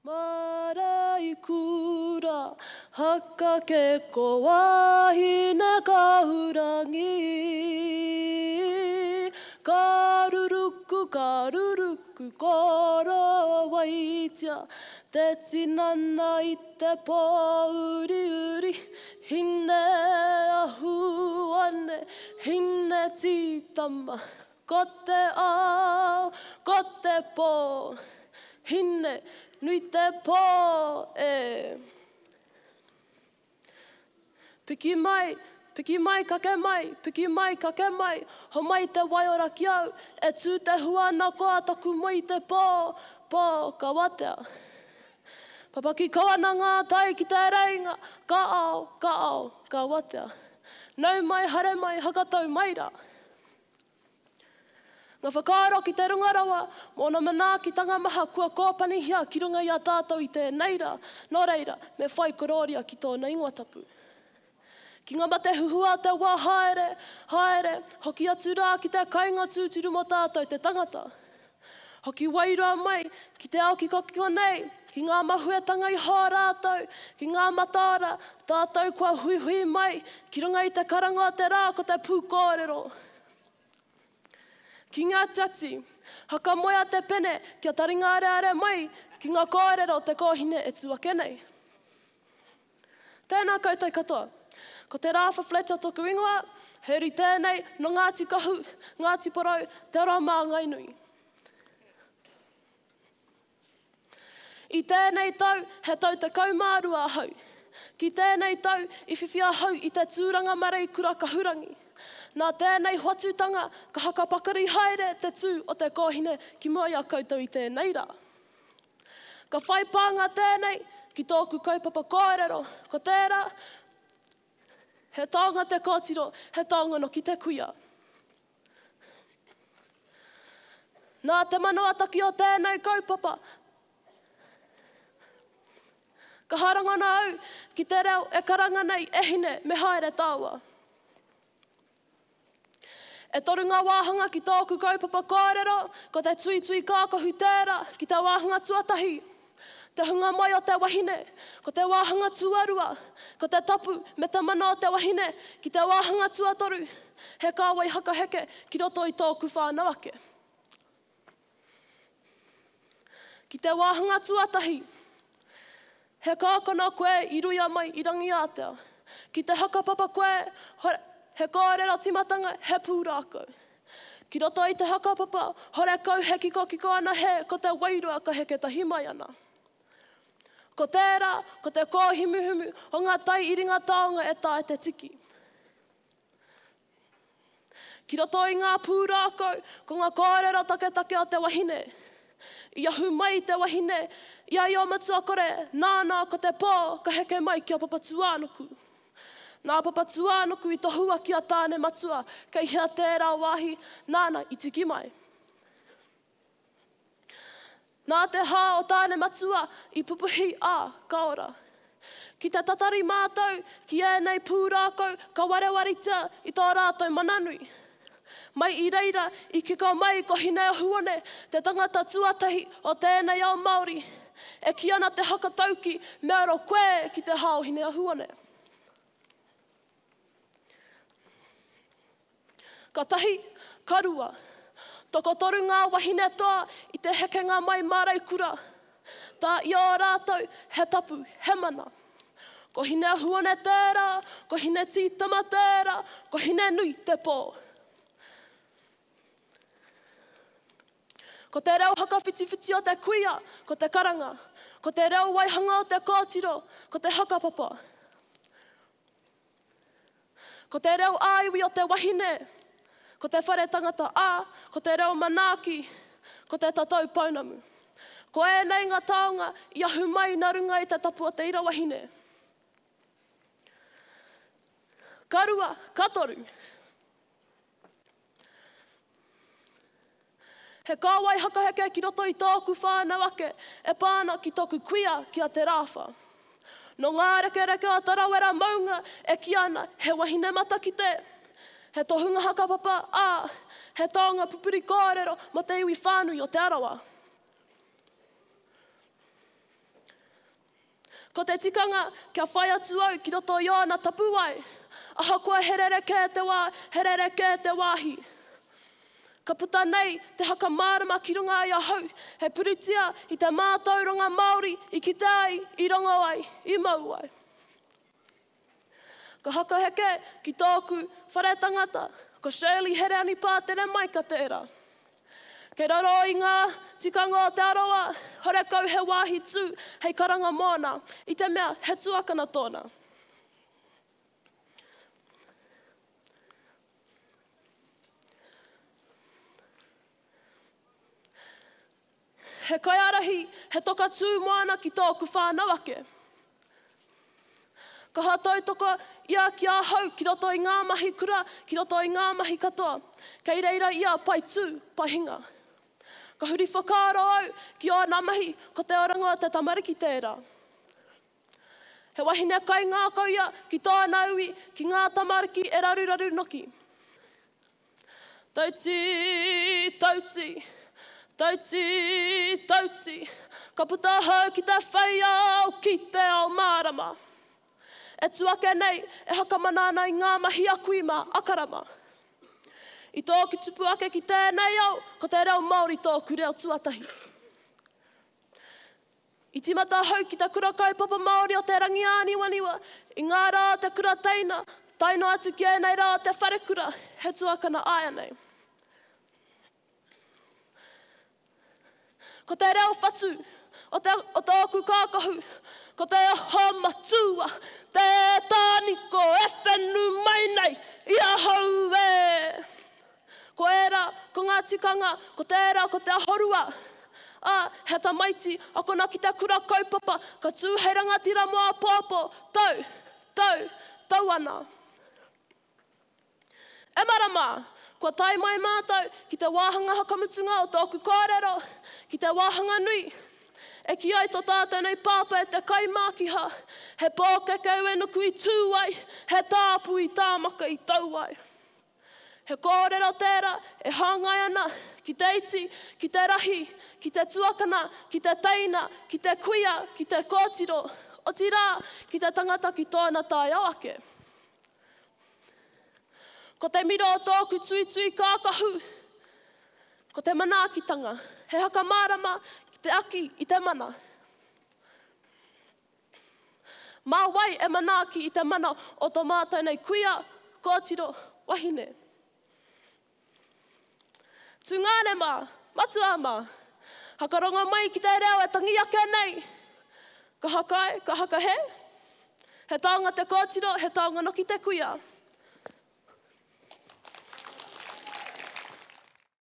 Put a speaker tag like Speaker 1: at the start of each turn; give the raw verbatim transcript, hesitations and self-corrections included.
Speaker 1: Māreikura, haka ke ko wahine kahurangi. Ka ruruku, ka ruruku, korowaitia, te tinana i te pōuriuri, hine ahuane, hine tītama, ko te ao, ko te pō, hine nui te pō e. Piki mai, piki mai, kake mai, piki mai, kake mai, homai te waiora ki au, e tū te hua ana koa taku moe i te pō, pō, ka watea. Papaki kau ana ngā tai ki te reinga, ka ao, ka ao, ka watea. Nau mai, haere mai, hakatau mai rā. Ngā whakaaro ki te runga rawa, mō ōna manaakitanga maha kua kōpanihia ki runga i a tātou i tēnei rā, nō reira, me whai korōria ki tōna ingoa tapu. Ki ngā mate huhua o te wā haere, haere, hoki atu rā ki te kainga tūturu mō tātou te tangata. Hoki wairua mai ki te ao kikokiko nei, ki ngā mahuetanga iho a rātou, ki ngā mataora, tātou kua huihui mai ki runga i te karanga o te rā ko te pūkōrero. Ki ngā tiati, hakamoea te pene kia taringa areare mai ki ngā kōrero o te kōhine e tū ake nei. Tēnā koutou katoa. Ko Te Rāwha Fletcher toku ingoa, he uri tēnei nō Ngāti Kahu, Ngāti Porou, Te Arawa Māngainui. I tēnei tau, he tau tekau mā rua ahau. Ki tēnei tau, i whiwhi ahau i te tūranga mareikura kahurangi. Nā tēnei hoatutanga ka hakapakari haere te tū o te kōhine ki mua i a koutou i tēnei rā. Ka whai pānga tēnei ki tōku kaupapa kōrero, ko tērā, he taonga te kōtiro, he taonga noki te kuia. Nā te manawataki o tēnei kaupapa, ka harangana au ki te reo e karanga nei, e hine, me haere tāua. E toru ngā wāhanga ki tōku kaupapa kōrero, ko te tuitui kākahu tērā ki te wāhanga tuatahi, te hunga mai o te wahine, ko te wāhanga tuarua, ko te tapu me te mana o te wahine, ki te wāhanga tuatoru, he kāwai hakaheke ki roto i tōku whānau ake. Ki te wāhanga tuatahi, he kākano koe i ruia mai i Rangiātea. Ki te hakapapa koe, he kōrero tīmatanga, he pūrākau. Ki roto i te hakapapa, horekau he kikokiko ana he, ko te wairua ka heke tahi mai ana. Ko tērā, ko te kōhimuhimu o ngā tai iringa taonga e taea te tiki. Ki roto i ngā pūrākau, ko ngā kōrero taketake o te wahine. I ahu mai te wahine i a Io-matua-kore, nāna ko te pō ka heke mai ki a Papatūānuku. Nā Papatūānuku i tohua ki a Tāne-matua, kei hea tērā wāhi, nāna i tiki mai. Nā te hā o Tāne-matua i pupuhi, ā, ka ora. Ki te tatari mātou ki ēnei pūrākau ka warewaretia i tō rātou mana nui. Mai i reira i kiko mai ko Hineahuone, te tangata tuatahi o tēnei ao Māori. E kī ana te hakatauki, me aro koe ki te hā o Hineahuone. Ka tahi, ka rua. Tokotoru ngā wahine toa i te hekenga mai Māreikura. Tā i ō rātou, he tapu, he mana. Ko Hineahuone tērā, ko Hinetītama tērā, ko Hinenui te pō. Ko te reo hakawhitiwhiti o te kuia, ko te karanga. Ko te reo waihanga o te kōtiro, ko te hakapapa. Ko te reo ā-iwi o te wahine, ko te whare tangata, ā, ko te reo manaaki, ko te tatau pounamu. Ko ēnei ngā taonga i ahu mai nā runga i te tapu o te ira wahine. Ka rua, ka toru. He kāwai hakaheke ki roto i tōku whānau ake e pā ana ki tōku kuia ki a Te Rāwha. Nō ngā rekereke o Tarawera maunga e kī ana he wahine matakite, he tohunga hakapapa, ā, he taonga pupuri kōrero mō te iwi whānui o Te Arawa. Ko te tikanga kia whai atu au ki roto i ōna tapuwae, ahakoa he rerekē te wā, he rerekē te wāhi. Ka puta nei te haka mārama ki runga i ahau, he puritia i te mātauranga Māori i kite ai, i rongo ai, i mau ai. Ka hakaheke ki tōku whare tangata, ko Shirley Hereani Pātere Maika tērā. Kei raro i ngā tikanga o Te Arawa, horekau he wāhi tū hei karanga mōna, i te mea he tuakana tōna. He kaiārahi, he toka tū moana ki tōku whānau ake. Kaha tautoko ia ki ahau ki roto i ngā mahi kura, ki roto i ngā mahi katoa. Kei reira ia pai tū, pai hinga. Ka huri whakaaro au ki ōna mahi, ko te oranga o te tamariki tērā. He wahine kaingākau ia ki tōna iwi, ki ngā tamariki e raruraru noki. Tauti, tauti, tauti, tauti, ka puta ahau ki te whai ao, ki te ao mārama. E tū ake nei, e hakamana ana i ngā mahi a kui mā, a karama. I tōku tupu ake ki tēnei ao, ko te reo Māori tōku reo tuatahi. I tīmata ahau ki te kura kaupapa Māori o Te Rangiāniwaniwa, i ngā rā o te kura teina, tae noa atu ki ēnei rā o te wharekura, he tuakana āianei. Ko te reo whatu o, te, o tōku kākahu, ko te aho matua, te tāniko e whenu mai nei i ahau e. Ko ērā, ko ngā tikanga, ko tērā, ko te ahorua. Ā, he tamaiti, akona ki te kura kaupapa, ka tū hei rangatira mō āpōpō, tau, tau, tau ana. E marama, kua tae mai mātou ki te wāhanga whakamutunga o tōku kōrero, ki te wāhanga nui. E kī ai tō tātou nei pāpā e te kaimākiha, he pōkeke uenuku i tū ai, he tāpu i tāmaka i tau ai. He kōrero tērā e hāngai ana ki te iti, ki te rahi, ki te tuakana, ki te teina, ki te kuia, ki te kōtiro, otirā, ki te tangata ki tōna taiao ake. Ko te miro o tōku tuitui kākahu, ko te manaakitanga, he hakamārama ki te aki i te mana. Mā wai e manaaki i te mana o tō mātou nei kuia, kōtiro, wahine. Tungāne mā, matua mā, hakarongo mai ki te reo e tangi ake nei. Ka hakae, ka hakahe. He taonga te kōtiro, he taonga noki te kuia.